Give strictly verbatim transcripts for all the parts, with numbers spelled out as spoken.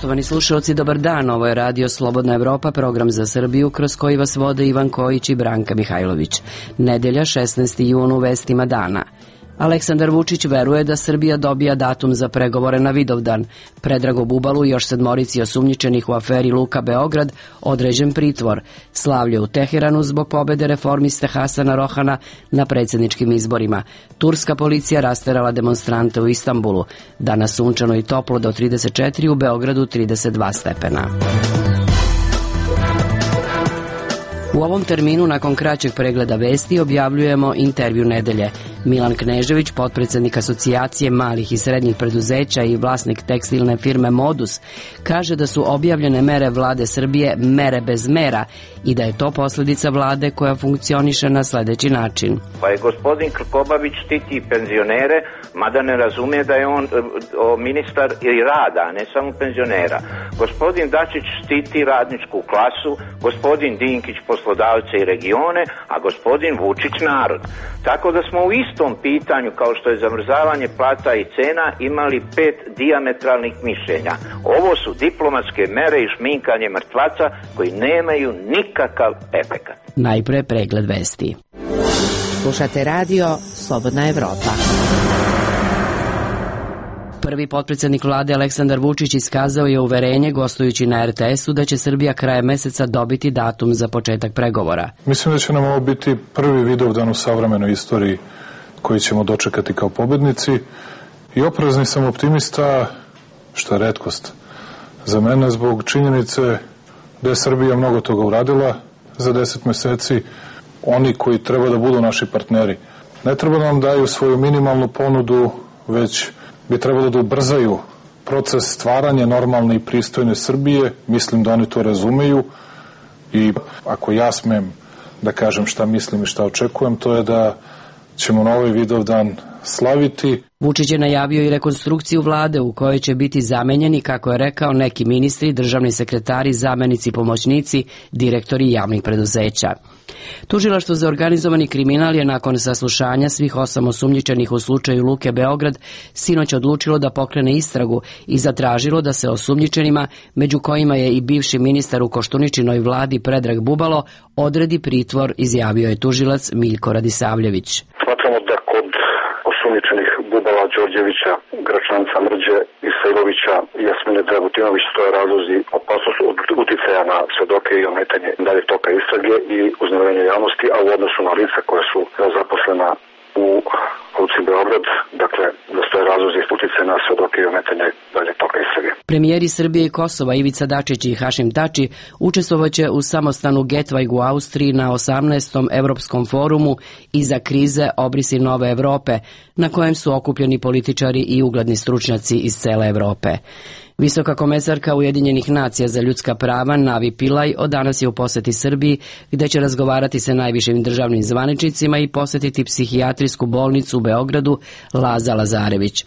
Poštovani slušalci, dobar dan. Ovo je Radio Slobodna Evropa, program za Srbiju kroz koji vas vode Ivan Kojić i Branka Mihajlović. Nedelja, šesnaesti jun, u vestima dana. Aleksandar Vučić veruje da Srbija dobija datum za pregovore na Vidovdan. Predragu Bubalu i još sedmorici osumnjičenih u aferi Luka Beograd određen pritvor. Slavlje u Teheranu zbog pobede reformiste Hasana Rohana na predsjedničkim izborima. Turska policija rasterala demonstrante u Istanbulu. Danas sunčano i toplo do trideset četiri, u Beogradu trideset dva stepena. U ovom terminu, nakon kraćeg pregleda vesti, objavljujemo intervju nedelje. Milan Knežević, potpredsjednik Asocijacije malih i srednjih preduzeća i vlasnik tekstilne firme Modus, kaže da su objavljene mere vlade Srbije mere bez mera i da je to posljedica vlade koja funkcioniše na sljedeći način. Pa je gospodin Krkobabić štiti penzionere, mada ne razume da je on o, ministar i rada, a ne samo penzionera. Gospodin Dačić štiti radničku klasu, gospodin Dinkić poslodavce i regione, a gospodin Vučić narod. Tako da smo u istom pitanju, kao što je zamrzavanje plata i cena, imali pet dijametralnih mišljenja. Ovo su diplomatske mere i šminkanje mrtvaca koji nemaju nikakav efekat. Najpre pregled vesti. Slušate radio Slobodna Evropa. Prvi potpredsjednik vlade Aleksandar Vučić iskazao je uverenje gostujući na er te esu da će Srbija krajem meseca dobiti datum za početak pregovora. Mislim da će nam ovo biti prvi Vidovdan u savremenoj istoriji koji ćemo dočekati kao pobednici i oprezni sam optimista, što je retkost za mene, zbog činjenice da je Srbija mnogo toga uradila za deset meseci. Oni koji treba da budu naši partneri ne treba da nam daju svoju minimalnu ponudu, već bi trebalo da ubrzaju proces stvaranja normalne i pristojne Srbije. Mislim da oni to razumeju i ako ja smem da kažem šta mislim i šta očekujem, to je da ćemo na ovaj Vidovdan slaviti. Vučić je najavio i rekonstrukciju vlade u kojoj će biti zamenjeni, kako je rekao, neki ministri, državni sekretari, zamenici, pomoćnici, direktori javnih preduzeća. Tužilaštvo za organizovani kriminal je nakon saslušanja svih osam osumnjičenih u slučaju Luke Beograd sinoć odlučilo da pokrene istragu i zatražilo da se osumnjičenima, među kojima je i bivši ministar u Koštuničinoj vladi Predrag Bubalo, odredi pritvor, izjavio je tužilac Miljko Radisavljević. Smatramo da kod osumnjičenih Bubala, Đorđevića, Gračanca, Mrđe, Isailovića i Jasmine Dragutinović stoje razlozi opasnost od uticaja na svedoke i ometanje dalje toka istrage i uznemirenje javnosti, a u odnosu na lica koja su zaposlena u Luci Beograd, dakle, da stoje razlozi uticaja na svedoke i ometanje dalje toka istrage. Premijeri Srbije i Kosova Ivica Dačić i Hašim Tači učestvovaće u samostanu Getvajg u Austriji na osamnaestom Evropskom forumu Iza krize obrisi nove Evrope, na kojem su okupljeni političari i ugledni stručnjaci iz cele Evrope. Visoka komesarka Ujedinjenih nacija za ljudska prava Navi Pillay od danas je u poseti Srbiji, gde će razgovarati sa najvišim državnim zvaničnicima i posetiti psihijatrijsku bolnicu u Beogradu Laza Lazarević.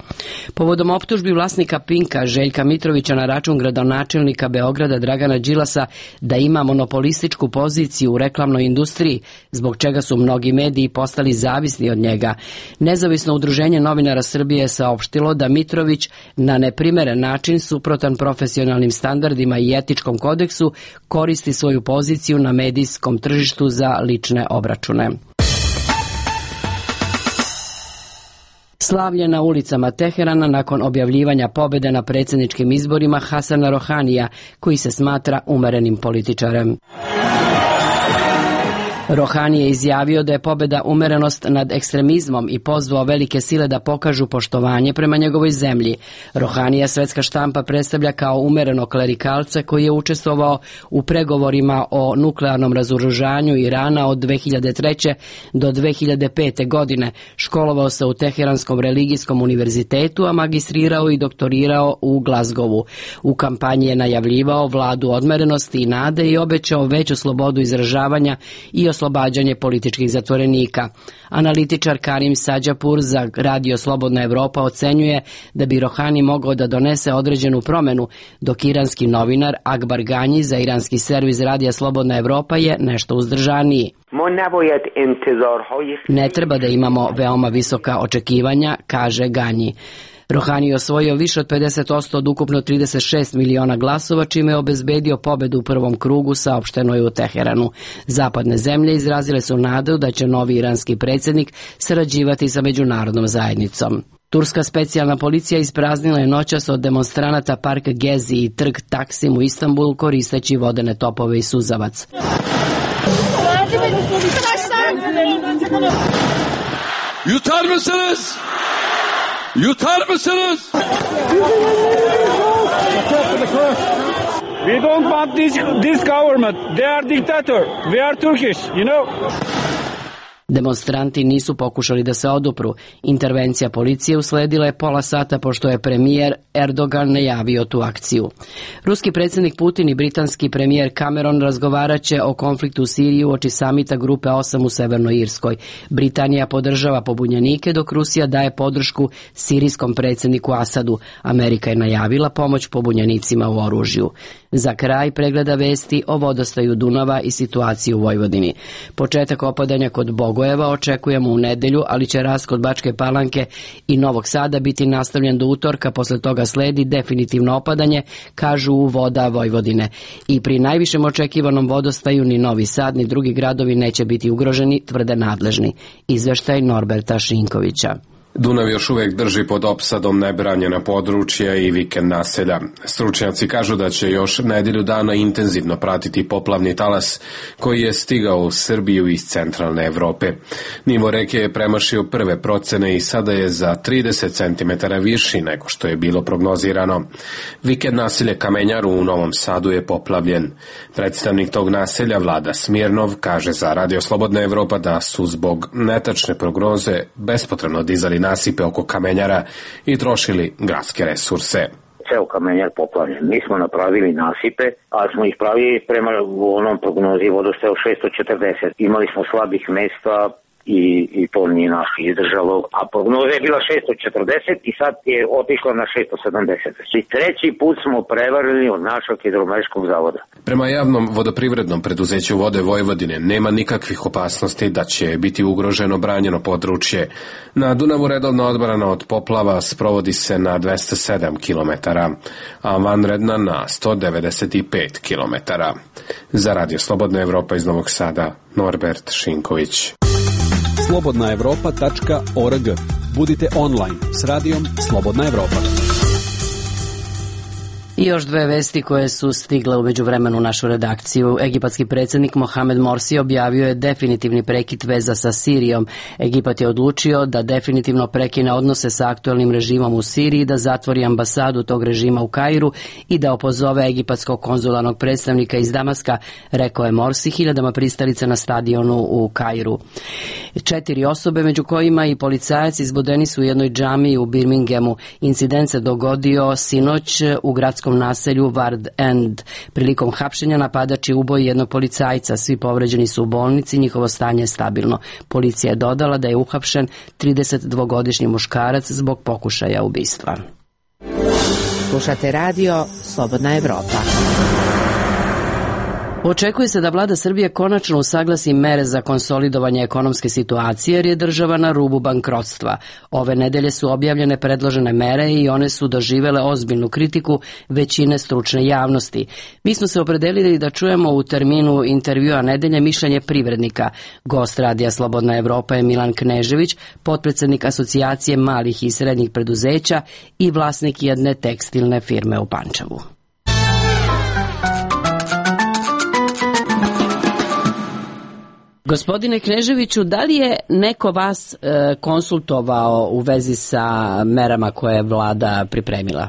Povodom optužbi vlasnika Pinka Željka Mitrovića na račun gradonačelnika Beograda Dragana Đilasa da ima monopolističku poziciju u reklamnoj industriji, zbog čega su mnogi mediji postali zavisni od njega, nezavisno udruženje novinara Srbije je saopštilo da Mitrović na neprimeren način su suprotan profesionalnim standardima i etičkom kodeksu, koristi svoju poziciju na medijskom tržištu za lične obračune. Slavlje na ulicama Teherana nakon objavljivanja pobjede na predsjedničkim izborima Hasana Rohanija, koji se smatra umerenim političarem. Rohani je izjavio da je pobjeda umerenost nad ekstremizmom i pozvao velike sile da pokažu poštovanje prema njegovoj zemlji. Rohanija svetska štampa predstavlja kao umereno klerikalca koji je učestvovao u pregovorima o nuklearnom razoružanju Irana od dve hiljade treće do dve hiljade pete. godine. Školovao se u Teheranskom religijskom univerzitetu, a magistrirao i doktorirao u Glazgovu. U kampanji je najavljivao vladu odmerenosti i nade i obećao veću slobodu izražavanja i oslobađanje političkih zatvorenika. Analitičar Karim Sadžapur za Radio Slobodna Evropa ocenjuje da bi Rohani mogao da donese određenu promenu, dok iranski novinar Akbar Ganji za iranski servis Radija Slobodna Evropa je nešto uzdržaniji. Ne treba da imamo veoma visoka očekivanja, kaže Ganji. Rohani je osvojio više od pedeset posto od ukupno trideset šest miliona glasova, čime je obezbedio pobedu u prvom krugu, saopšteno je u Teheranu. Zapadne zemlje izrazile su nadu da će novi iranski predsjednik sarađivati sa međunarodnom zajednicom. Turska specijalna policija ispraznila je noćas od demonstranata park Gezi i trg Taksim u Istanbulu koristeći vodene topove i suzavac. Yutar mısınız? Yutar mısınız? We don't want this, this government. They are dictator. We are Turkish, you know. Demonstranti nisu pokušali da se odupru. Intervencija policije usledila je pola sata pošto je premijer Erdogan najavio tu akciju. Ruski predsjednik Putin i britanski premijer Cameron razgovarat će o konfliktu u Siriji uoči samita Grupe osam u Severnoj Irskoj. Britanija podržava pobunjenike dok Rusija daje podršku sirijskom predsjedniku Asadu. Amerika je najavila pomoć pobunjenicima u oružju. Za kraj pregleda vesti o vodostaju Dunava i situaciji u Vojvodini. Početak opadanja kod Bogojeva očekujemo u nedelju, ali će rast kod Bačke Palanke i Novog Sada biti nastavljen do utorka, posle toga sledi definitivno opadanje, kažu u Voda Vojvodine. I pri najvišem očekivanom vodostaju ni Novi Sad ni drugi gradovi neće biti ugroženi, tvrde nadležni. Izveštaj Norberta Šinkovića. Dunav još uvijek drži pod opsadom nebranjena područja i vikend naselja. Stručnjaci kažu da će još nedjelju dana intenzivno pratiti poplavni talas koji je stigao u Srbiju iz centralne Evrope. Nivo reke je premašio prve procene i sada je za trideset centimetara viši nego što je bilo prognozirano. Vikend naselje Kamenjaru u Novom Sadu je poplavljen. Predstavnik tog naselja Vlada Smirnov kaže za Radio Slobodna Evropa da su zbog netačne prognoze bespotrebno dizali nasipe oko Kamenjara i trošili gradske resurse. Ceo Kamenjar poplavljen. Mi smo napravili nasipe, ali smo ih pravili prema onom prognozi vodostaja od šesto četrdeset. Imali smo slabih mesta i, i to nije naš izdržalo, a prognoza je bila šesto četrdeset i sad je otišla na šesto sedamdeset. I treći put smo prevarili od našeg hidrometeorološkog zavoda. Prema javnom vodoprivrednom preduzeću Vode Vojvodine nema nikakvih opasnosti da će biti ugroženo branjeno područje. Na Dunavu redovna odbrana od poplava sprovodi se na dvesta sedam kilometara, a vanredna na sto devedeset pet kilometara. Za Radio Slobodna Evropa iz Novog Sada, Norbert Šinković. slobodna evropa tačka org. Budite online s radijom Slobodna Evropa. I još dve vesti koje su stigle u međuvremenu u našu redakciju. Egipatski predsjednik Mohamed Morsi objavio je definitivni prekid veza sa Sirijom. Egipat je odlučio da definitivno prekine odnose sa aktualnim režimom u Siriji, da zatvori ambasadu tog režima u Kairu i da opozove egipatskog konzularnog predstavnika iz Damaska, rekao je Morsi hiljadama pristalica na stadionu u Kairu. Četiri osobe, među kojima i policajac, izbodeni su u jednoj džamiji u Birminghamu. Incident se dogodio sinoć u gradskom naselju Ward End. Prilikom hapšenja napadač je uboj jednog policajca. Svi povređeni su u bolnici, njihovo stanje je stabilno. Policija je dodala da je uhapšen tridesetdvogodišnji muškarac zbog pokušaja ubistva. Slušate radio Slobodna Evropa. Očekuje se da vlada Srbije konačno usaglasi mere za konsolidovanje ekonomske situacije jer je država na rubu bankrotstva. Ove nedelje su objavljene predložene mere i one su doživele ozbiljnu kritiku većine stručne javnosti. Mi smo se opredelili da čujemo u terminu intervjua nedelje mišljenje privrednika. Gost Radija Slobodna Evropa je Milan Knežević, potpredsjednik Asocijacije malih i srednjih preduzeća i vlasnik jedne tekstilne firme u Pančevu. Gospodine Kneževiću, da li je neko vas e, konsultovao u vezi sa merama koje je vlada pripremila?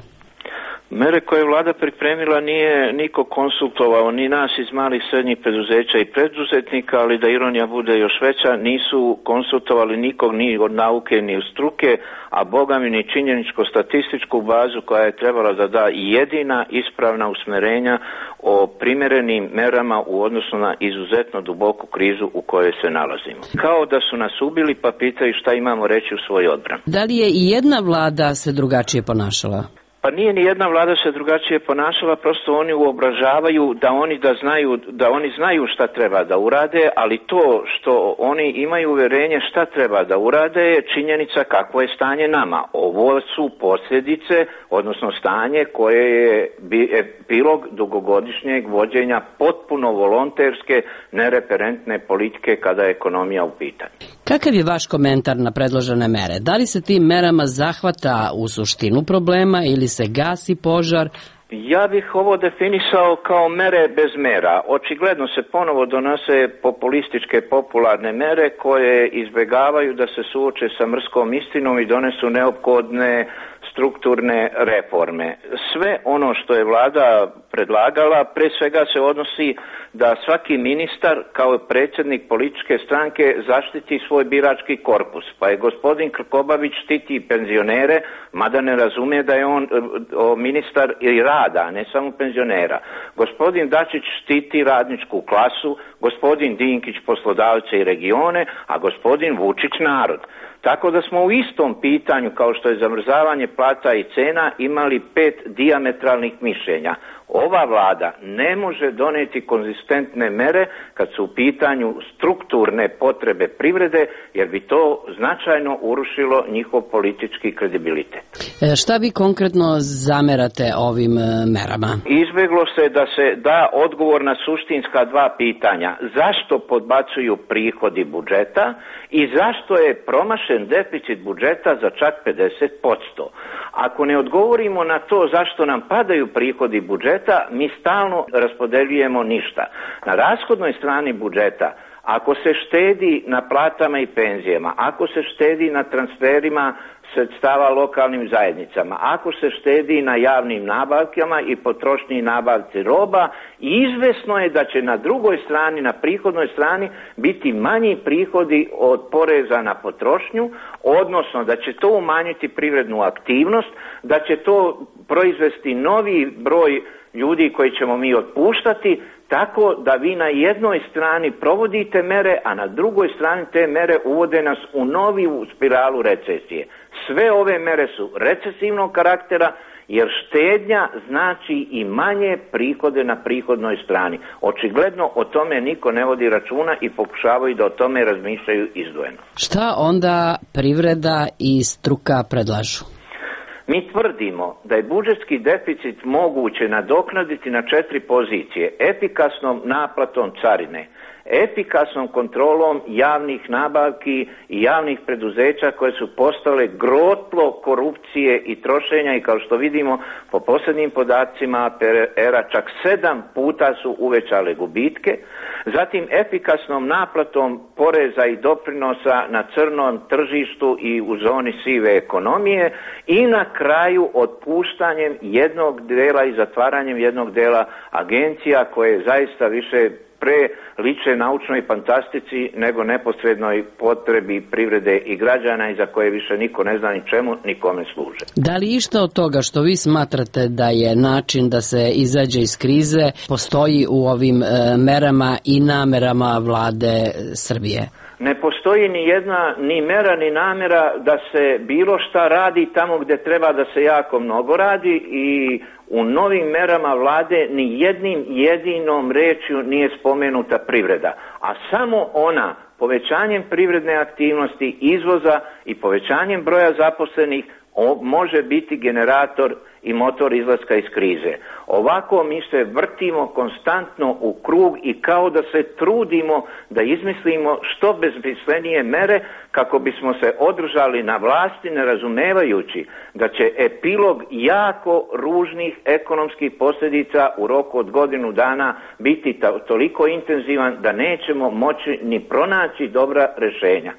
Mere koje je vlada pripremila nije niko konsultovao, ni nas iz malih srednjih preduzeća i preduzetnika, ali da ironija bude još veća, nisu konsultovali nikog ni od nauke ni od struke, a boga mi ni činjeničko-statističku bazu koja je trebala da da jedina ispravna usmerenja o primjerenim merama u odnosu na izuzetno duboku krizu u kojoj se nalazimo. Kao da su nas ubili pa pitaju šta imamo reći u svoj odbran. Da li je i jedna vlada se drugačije ponašala? Pa nije ni jedna vlada se drugačije ponašala, prosto oni uobražavaju da oni da znaju da oni znaju šta treba da urade, ali to što oni imaju uverenje šta treba da urade je činjenica kakvo je stanje nama. Ovo su posljedice, odnosno stanje koje je epilog dugogodišnjeg vođenja potpuno volonterske, nereferentne politike kada je ekonomija u pitanju. Kakav je vaš komentar na predložene mere? Da li se tim merama zahvata u suštinu problema ili se gasi požar? Ja bih ovo definisao kao mere bez mera. Očigledno se ponovo donose populističke popularne mere koje izbjegavaju da se suoče sa mrskom istinom i donesu neophodne strukturne reforme. Sve ono što je vlada predlagala, pre svega se odnosi da svaki ministar kao predsjednik političke stranke zaštiti svoj birački korpus. Pa je gospodin Krkobabić štiti penzionere, mada ne razumije da je on o, ministar i rada, a ne samo penzionera. Gospodin Dačić štiti radničku klasu, gospodin Dinkić poslodavce i regione, a gospodin Vučić narod. Tako da smo u istom pitanju, kao što je zamrzavanje plata i cena, imali pet dijametralnih mišljenja. Ova vlada ne može doneti konzistentne mere kad su u pitanju strukturne potrebe privrede, jer bi to značajno urušilo njihov politički kredibilitet. E, šta vi konkretno zamerate ovim merama? Izbjeglo se da se da odgovor na suštinska dva pitanja. Zašto podbacuju prihodi budžeta i zašto je promašen deficit budžeta za čak pedeset posto? Ako ne odgovorimo na to zašto nam padaju prihodi budžeta, mi stalno raspodeljujemo ništa. Na rashodnoj strani budžeta, ako se štedi na platama i penzijama, ako se štedi na transferima sredstava lokalnim zajednicama, ako se štedi na javnim nabavkama i potrošnji i nabavci roba, izvesno je da će na drugoj strani, na prihodnoj strani, biti manji prihodi od poreza na potrošnju, odnosno da će to umanjiti privrednu aktivnost, da će to proizvesti novi broj ljudi koji ćemo mi otpuštati, tako da vi na jednoj strani provodite mere, a na drugoj strani te mere uvode nas u novu spiralu recesije. Sve ove mere su recesivnog karaktera, jer štednja znači i manje prihode na prihodnoj strani. Očigledno o tome niko ne vodi računa i pokušavaju da o tome razmišljaju izdvojeno. Šta onda privreda i struka predlažu? Mi tvrdimo da je budžetski deficit moguće nadoknaditi na četiri pozicije: efikasnom naplatom carine, efikasnom kontrolom javnih nabavki i javnih preduzeća koje su postale grotlo korupcije i trošenja i kao što vidimo po posljednjim podacima A P R-a čak sedam puta su uvećale gubitke, zatim efikasnom naplatom poreza i doprinosa na crnom tržištu i u zoni sive ekonomije i na kraju otpuštanjem jednog dela i zatvaranjem jednog dela agencija koje zaista više pre liče naučnoj fantastici nego neposrednoj potrebi privrede i građana i za koje više niko ne zna ni čemu, ni kome služe. Da li išta od toga što vi smatrate da je način da se izađe iz krize postoji u ovim e, merama i namerama vlade Srbije? Ne postoji ni jedna ni mera ni namjera da se bilo šta radi tamo gdje treba da se jako mnogo radi i u novim merama vlade ni jednim jedinom rečju nije spomenuta privreda, a samo ona povećanjem privredne aktivnosti, izvoza i povećanjem broja zaposlenih može biti generator i motor izlaska iz krize. Ovako mi se vrtimo konstantno u krug i kao da se trudimo da izmislimo što bezmislenije mere kako bismo se održali na vlasti, ne razumevajući da će epilog jako ružnih ekonomskih posljedica u roku od godinu dana biti toliko intenzivan da nećemo moći ni pronaći dobra rješenja.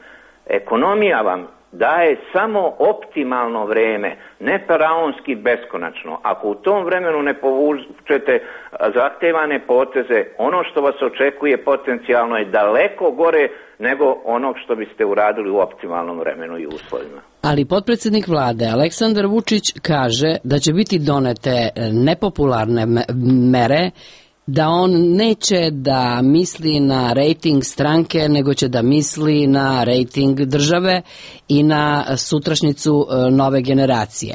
Ekonomija vam daje samo optimalno vreme, ne faraonski beskonačno. Ako u tom vremenu ne povučete zahtevane poteze, ono što vas očekuje potencijalno je daleko gore nego onog što biste uradili u optimalnom vremenu i uslovima. Ali potpredsjednik vlade Aleksandar Vučić kaže da će biti donete nepopularne mere, da on neće da misli na rejting stranke, nego će da misli na rejting države i na sutrašnjicu nove generacije.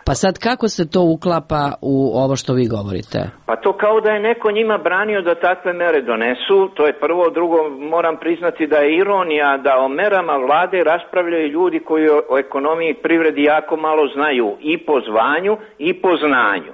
Pa sad kako se to uklapa u ovo što vi govorite? Pa to kao da je neko njima branio da takve mere donesu, to je prvo. Drugo, moram priznati da je ironija da o merama vlade raspravljaju ljudi koji o ekonomiji i privredi jako malo znaju i po zvanju i po znanju.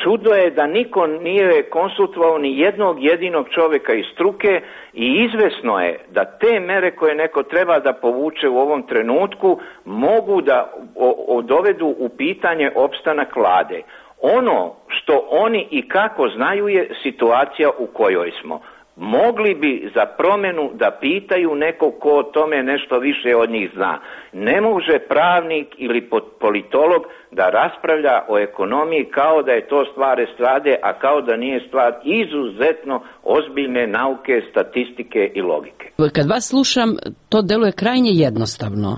Čudo je da niko nije konsultovao ni jednog jedinog čovjeka iz struke i izvesno je da te mere koje neko treba da povuče u ovom trenutku mogu da o, o, dovedu u pitanje opstanak vlade. Ono što oni i kako znaju je situacija u kojoj smo. Mogli bi za promjenu da pitaju nekog ko o tome nešto više od njih zna. Ne može pravnik ili politolog da raspravlja o ekonomiji kao da je to stvar estrade, a kao da nije stvar izuzetno ozbiljne nauke, statistike i logike. Kad vas slušam, to deluje krajnje jednostavno.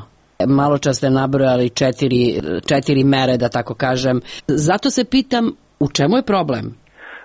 Malo čas ste nabrojali četiri, četiri mere, da tako kažem. Zato se pitam, u čemu je problem?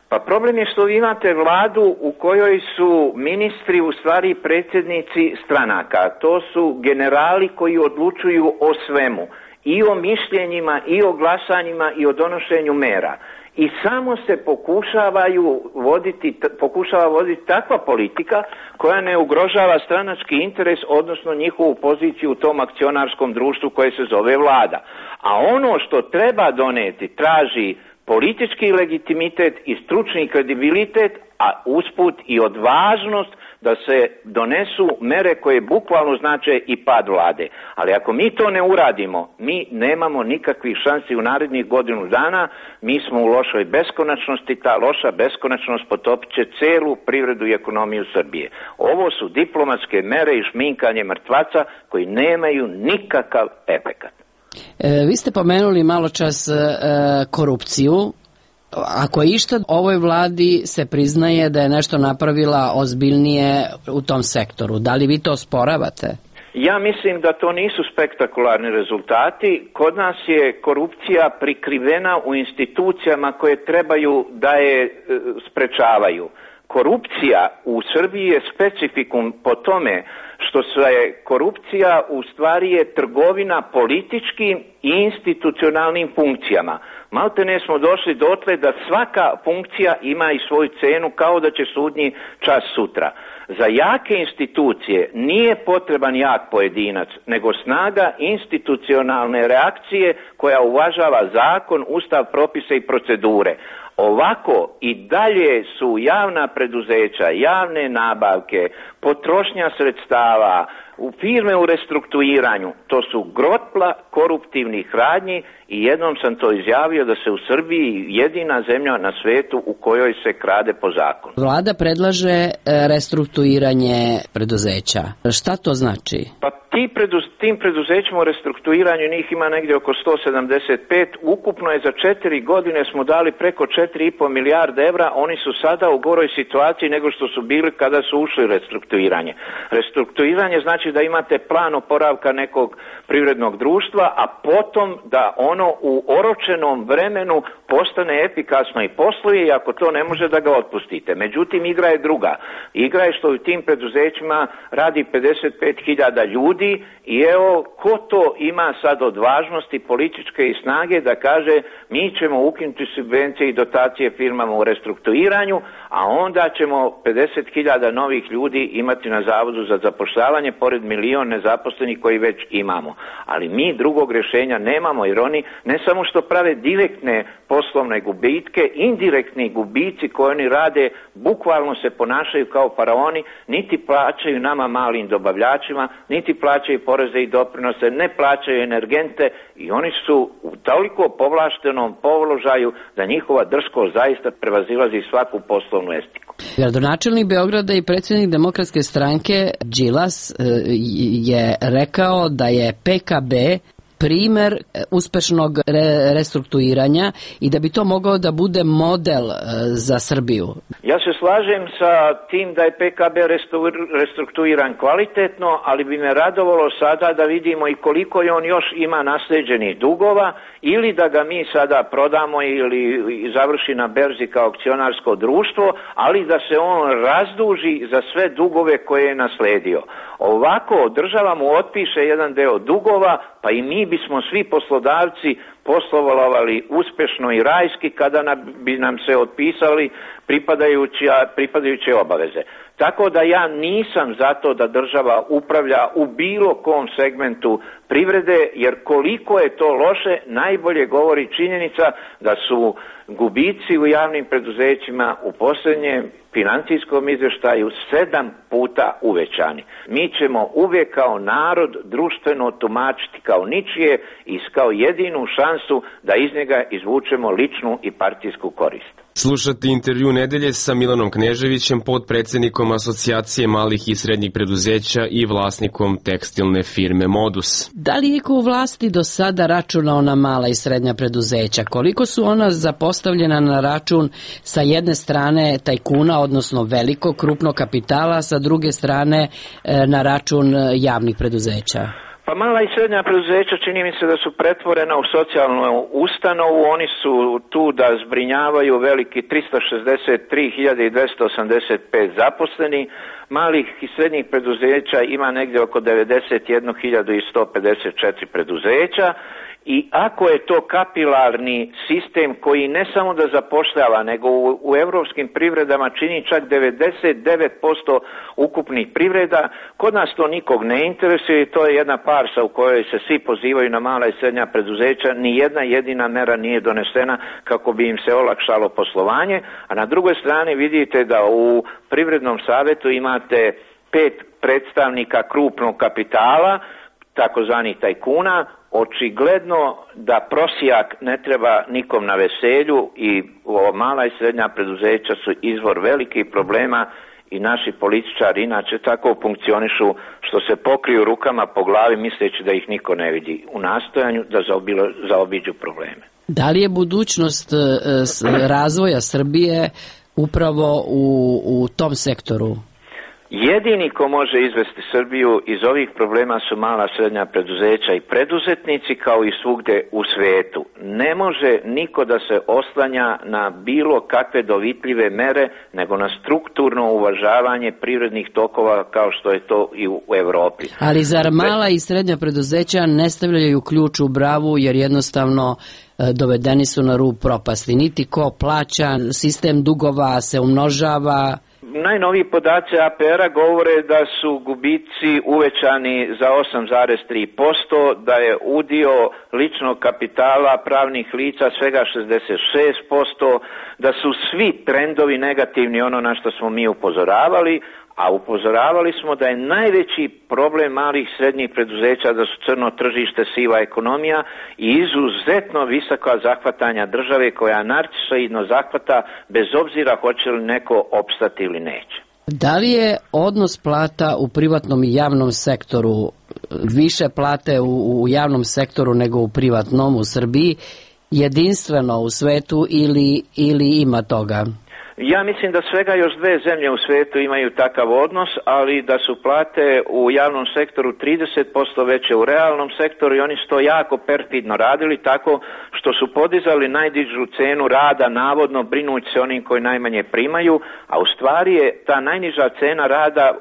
Pa problem je što vi imate vladu u kojoj su ministri u stvari predsjednici stranaka. To su generali koji odlučuju o svemu. I o mišljenjima, i o glasanjima, i o donošenju mera. I samo se pokušavaju voditi, pokušava voditi takva politika koja ne ugrožava stranački interes, odnosno njihovu poziciju u tom akcionarskom društvu koje se zove vlada. A ono što treba doneti traži politički legitimitet i stručni kredibilitet, a usput i odvažnost da se donesu mere koje bukvalno znače i pad vlade. Ali ako mi to ne uradimo, mi nemamo nikakvih šansi u narednih godinu dana, mi smo u lošoj beskonačnosti, ta loša beskonačnost potopit će celu privredu i ekonomiju Srbije. Ovo su diplomatske mere i šminkanje mrtvaca koji nemaju nikakav efekat. E, vi ste pomenuli malo čas e, korupciju. Ako je išta, ovoj vladi se priznaje da je nešto napravila ozbiljnije u tom sektoru. Da li vi to osporavate? Ja mislim da to nisu spektakularni rezultati. Kod nas je korupcija prikrivena u institucijama koje trebaju da je sprečavaju. Korupcija u Srbiji je specifikum po tome što se korupcija u stvari je trgovina političkim i institucionalnim funkcijama. Maltene smo došli dotle da svaka funkcija ima i svoju cenu kao da će sudnji čas sutra. Za jake institucije nije potreban jak pojedinac, nego snaga institucionalne reakcije koja uvažava zakon, ustav, propise i procedure. Ovako i dalje su javna preduzeća, javne nabavke, potrošnja sredstava, u firme u restrukturiranju, to su grotla koruptivnih radnji i jednom sam to izjavio da se u Srbiji jedina zemlja na svetu u kojoj se krade po zakonu. Vlada predlaže restrukturiranje preduzeća. Šta to znači? Pa ti preduz, tim preduzećima u restrukturiranju njih ima negdje oko sto sedamdeset pet. Ukupno je za četiri godine smo dali preko četiri i po milijarde evra. Oni su sada u goroj situaciji nego što su bili kada su ušli u restrukturiranje. Restrukturiranje znači da imate plan oporavka nekog privrednog društva, a potom da ono u oročenom vremenu postane efikasno i posluje i ako to ne može da ga otpustite. Međutim, igra je druga. Igra je što u tim preduzećima radi pedeset pet hiljada ljudi i evo ko to ima sad odvažnosti političke i snage da kaže mi ćemo ukinuti subvencije i dotacije firmama u restrukturiranju, a onda ćemo pedeset hiljada novih ljudi imati na Zavodu za zapošljavanje pored milion nezaposlenih koji već imamo. Ali mi drugog rješenja nemamo jer oni ne samo što prave direktne poslovne gubitke, indirektni gubici koje oni rade bukvalno se ponašaju kao faraoni, niti plaćaju nama malim dobavljačima, niti plaćaju poreze i doprinose, ne plaćaju energente i oni su u toliko povlaštenom položaju da njihova drskost zaista prevazilazi svaku poslovnu estiku. Gradonačelnik Beograda i predsjednik Demokratske stranke Đilas je rekao da je P K B primer uspešnog re- restrukturiranja i da bi to mogao da bude model e, za Srbiju. Ja se slažem sa tim da je P K B restrukturiran kvalitetno, ali bi me radovalo sada da vidimo i koliko je on još ima nasleđenih dugova ili da ga mi sada prodamo ili završi na berzi kao akcionarsko društvo, ali da se on razduži za sve dugove koje je nasledio. Ovako država mu otpiše jedan deo dugova, pa i mi bismo svi poslodavci poslovali uspešno i rajski kada bi nam se otpisali pripadajuće obaveze. Tako da ja nisam za to da država upravlja u bilo kom segmentu privrede, jer koliko je to loše najbolje govori činjenica da su gubici u javnim preduzećima u posljednjem financijskom izvještaju sedam puta uvećani. Mi ćemo uvijek kao narod društveno tumačiti kao ničije i kao jedinu šansu da iz njega izvučemo ličnu i partijsku korist. Slušate intervju nedelje sa Milanom Kneževićem, podpredsednikom Asocijacije malih i srednjih preduzeća i vlasnikom tekstilne firme Modus. Da li je ko u vlasti do sada računao na mala i srednja preduzeća? Koliko su ona zapostavljena na račun sa jedne strane tajkuna, odnosno velikog krupnog kapitala, sa druge strane na račun javnih preduzeća? Pa mala i srednja preduzeća čini mi se da su pretvorena u socijalnu ustanovu, oni su tu da zbrinjavaju veliki tristo šezdeset tri hiljade dvesta osamdeset pet zaposlenih, malih i srednjih preduzeća ima negdje oko devedeset jednu hiljadu sto pedeset četiri preduzeća. I ako je to kapilarni sistem koji ne samo da zapošljava, nego u, u evropskim privredama čini čak devedeset devet posto ukupnih privreda, kod nas to nikog ne interesuje i to je jedna farsa u kojoj se svi pozivaju na mala i srednja preduzeća, ni jedna jedina mera nije donesena kako bi im se olakšalo poslovanje, a na drugoj strani vidite da u Privrednom savjetu imate pet predstavnika krupnog kapitala, takozvanih tajkuna. Očigledno da prosijak ne treba nikom na veselju i mala i srednja preduzeća su izvor velikih problema i naši političari inače tako funkcionišu što se pokriju rukama po glavi misleći da ih niko ne vidi u nastojanju da zaobilo, zaobiđu probleme. Da li je budućnost razvoja Srbije upravo u, u tom sektoru? Jedini ko može izvesti Srbiju iz ovih problema su mala srednja preduzeća i preduzetnici kao i svugde u svetu. Ne može niko da se oslanja na bilo kakve dovitljive mere nego na strukturno uvažavanje privrednih tokova kao što je to i u Evropi. Ali zar mala i srednja preduzeća ne stavljaju ključ u bravu jer jednostavno dovedeni su na rub propasti? Niti ko plaća, sistem dugova se umnožava. Najnoviji podaci A P R-a govore da su gubici uvećani za osam zarez tri posto, da je udio ličnog kapitala pravnih lica svega šezdeset šest posto, da su svi trendovi negativni, ono na što smo mi upozoravali, a upozoravali smo da je najveći problem malih i srednjih preduzeća da su crno tržište, siva ekonomija i izuzetno visoka zahvatanja države koja narcisoidno zahvata bez obzira hoće li neko opstati ili neće. Da li je odnos plata u privatnom i javnom sektoru, više plate u, u javnom sektoru nego u privatnom u Srbiji, jedinstveno u svetu ili, ili ima toga? Ja mislim da svega još dve zemlje u svijetu imaju takav odnos, ali da su plate u javnom sektoru trideset posto veće u realnom sektoru i oni su to jako perfidno radili tako što su podizali najdižu cenu rada navodno brinući se onim koji najmanje primaju, a u stvari je ta najniža cena rada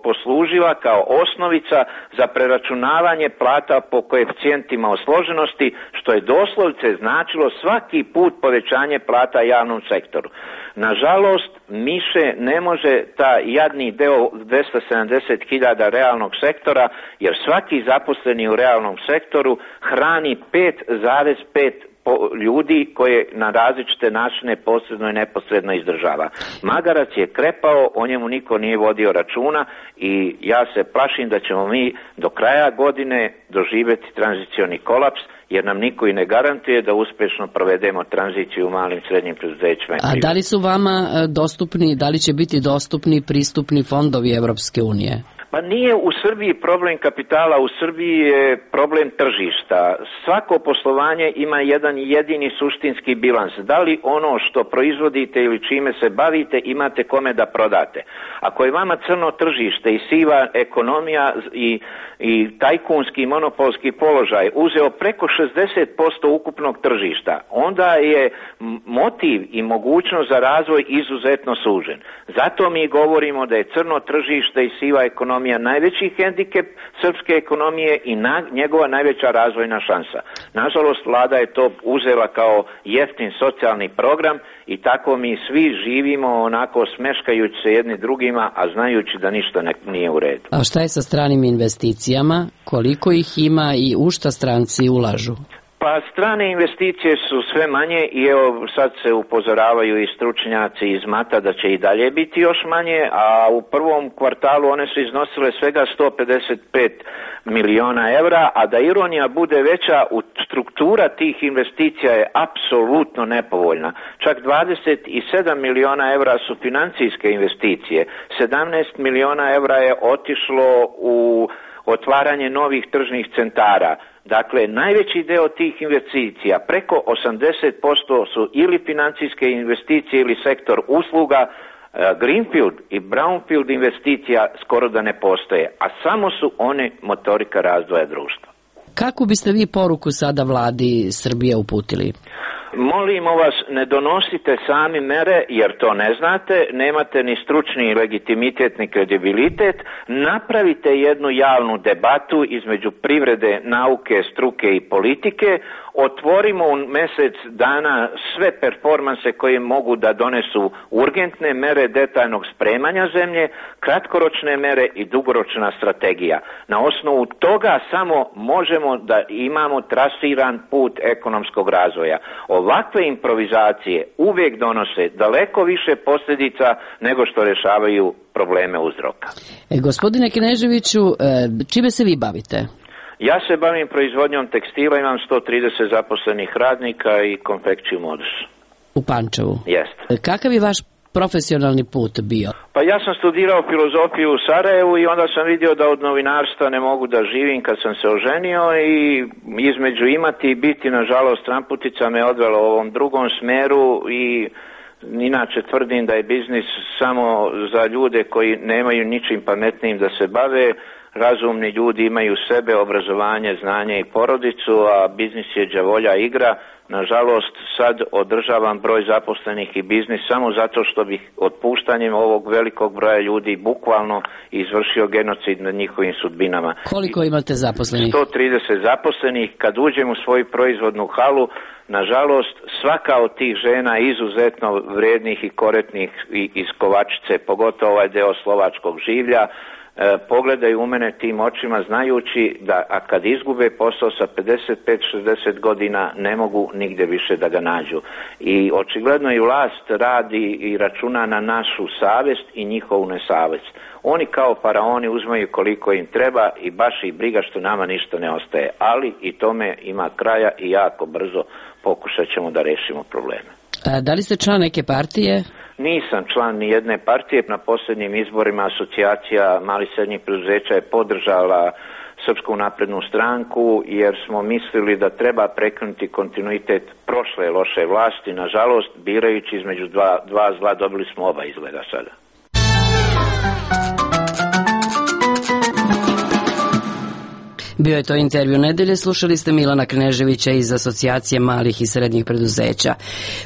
poslužila kao osnovica za preračunavanje plata po koeficijentima osloženosti, što je doslovce značilo svaki put povećanje plata javnom sektoru. Nažalost, miše ne može ta jadni deo dvesta sedamdeset hiljada realnog sektora, jer svaki zaposleni u realnom sektoru hrani pet zarez pet ljudi koje na različite načine posredno i neposredno izdržava. Magarac je krepao, o njemu niko nije vodio računa i ja se plašim da ćemo mi do kraja godine doživjeti tranzicioni kolaps, jer nam niko i ne garantuje da uspješno provedemo tranziciju u malim i srednjim preduzećima. A da li su vama dostupni, da li će biti dostupni pristupni fondovi Evropske unije? Pa nije u Srbiji problem kapitala, u Srbiji je problem tržišta. Svako poslovanje ima jedan jedini suštinski bilans. Da li ono što proizvodite ili čime se bavite imate kome da prodate? Ako je vama crno tržište i siva ekonomija i, i tajkunski monopolski položaj uzeo preko šezdeset posto ukupnog tržišta, onda je motiv i mogućnost za razvoj izuzetno sužen. Zato mi govorimo da je crno tržište i siva ekonomija ekonomija najveći hendikep srpske ekonomije i na, njegova najveća razvojna šansa. Nažalost, vlada je to uzela kao jeftin socijalni program i tako mi svi živimo onako smeškajući se jedni drugima, a znajući da ništa ne, nije u redu. A šta je sa stranim investicijama? Koliko ih ima i u šta stranci ulažu? Pa strane investicije su sve manje i evo sad se upozoravaju i stručnjaci iz Mata da će i dalje biti još manje, a u prvom kvartalu one su iznosile svega sto pedeset pet miliona evra, a da ironija bude veća, u struktura tih investicija je apsolutno nepovoljna. Čak dvadeset sedam miliona evra su financijske investicije, sedamnaest miliona evra je otišlo u otvaranje novih tržnih centara. Dakle, najveći deo tih investicija, preko osamdeset posto su ili financijske investicije ili sektor usluga. Greenfield i Brownfield investicija skoro da ne postoje, a samo su one motorika razvoja društva. Kako biste vi poruku sada vladi Srbije uputili? Molimo vas, ne donosite sami mere, jer to ne znate, nemate ni stručni legitimitet ni kredibilitet, napravite jednu javnu debatu između privrede, nauke, struke i politike, otvorimo u mjesec dana sve performanse koje mogu da donesu urgentne mere detaljnog spremanja zemlje, kratkoročne mere i dugoročna strategija. Na osnovu toga samo možemo da imamo trasiran put ekonomskog razvoja. Ovakve improvizacije uvijek donose daleko više posljedica nego što rješavaju probleme uzroka. E, gospodine Kneževiću, čime se vi bavite? Ja se bavim proizvodnjom tekstila, imam sto trideset zaposlenih radnika i konfekciju modus. U Pančevu? Jeste. Kakav je vaš profesionalni put bio? Pa ja sam studirao filozofiju u Sarajevu i onda sam vidio da od novinarstva ne mogu da živim kad sam se oženio i između imati i biti, nažalost, tramputica me odvela u ovom drugom smeru i inače tvrdim da je biznis samo za ljude koji nemaju ničim pametnijim da se bave. Razumni ljudi imaju sebe, obrazovanje, znanje i porodicu, a biznis je đavolja igra. Nažalost, sad održavam broj zaposlenih i biznis samo zato što bih otpuštanjem ovog velikog broja ljudi bukvalno izvršio genocid nad njihovim sudbinama. Koliko imate zaposlenih? sto trideset zaposlenih. Kad uđem u svoju proizvodnu halu, nažalost, svaka od tih žena izuzetno vrednih i korektnih iz Kovačice, pogotovo ovaj deo slovačkog življa, E, pogledaju u mene tim očima znajući da a kad izgube posao sa pedeset pet šezdeset godina ne mogu nigde više da ga nađu. I očigledno i vlast radi i računa na našu savest i njihovu nesavest. Oni kao faraoni uzmaju koliko im treba i baš ih briga što nama ništa ne ostaje. Ali i tome ima kraja i jako brzo pokušat ćemo da rešimo probleme. A, da li ste član neke partije? Nisam član ni jedne partije. Na posljednjim izborima asocijacija malih i srednjih preduzeća je podržala Srpsku naprednu stranku jer smo mislili da treba prekinuti kontinuitet prošle loše vlasti. Nažalost, birajući između dva, dva zla dobili smo oba izgleda sada. Bio je to intervju nedelje, slušali ste Milana Kneževića iz Asocijacije malih i srednjih preduzeća.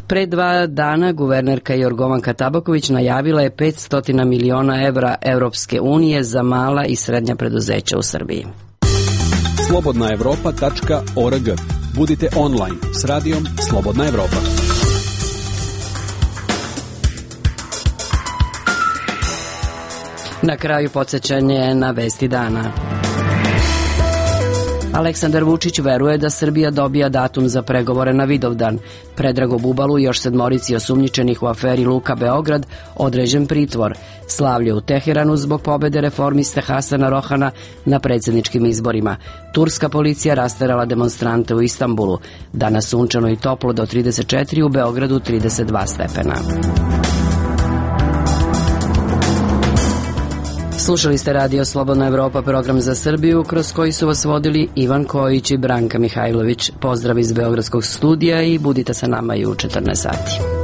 Pre dva dana guvernerka Jorgovanka Tabaković najavila je petsto miliona evra Evropske unije za mala i srednja preduzeća u Srbiji. slobodna evropa tačka org. Budite online s radijom Slobodna Evropa. Na kraju podsjećanje na vesti dana. Aleksandar Vučić veruje da Srbija dobija datum za pregovore na Vidovdan. Predragu Bubalu i još sedmorici osumnjičenih u aferi Luka Beograd određen pritvor. Slavlje u Teheranu zbog pobede reformiste Hasana Rohana na predsjedničkim izborima. Turska policija rasterala demonstrante u Istanbulu. Danas sunčano i toplo do trideset četiri, u Beogradu trideset dva stepena. Slušali ste Radio Slobodna Evropa, program za Srbiju, kroz koji su vas vodili Ivan Kojić i Branka Mihajlović. Pozdrav iz Beogradskog studija i budite sa nama i u četrnaest sati.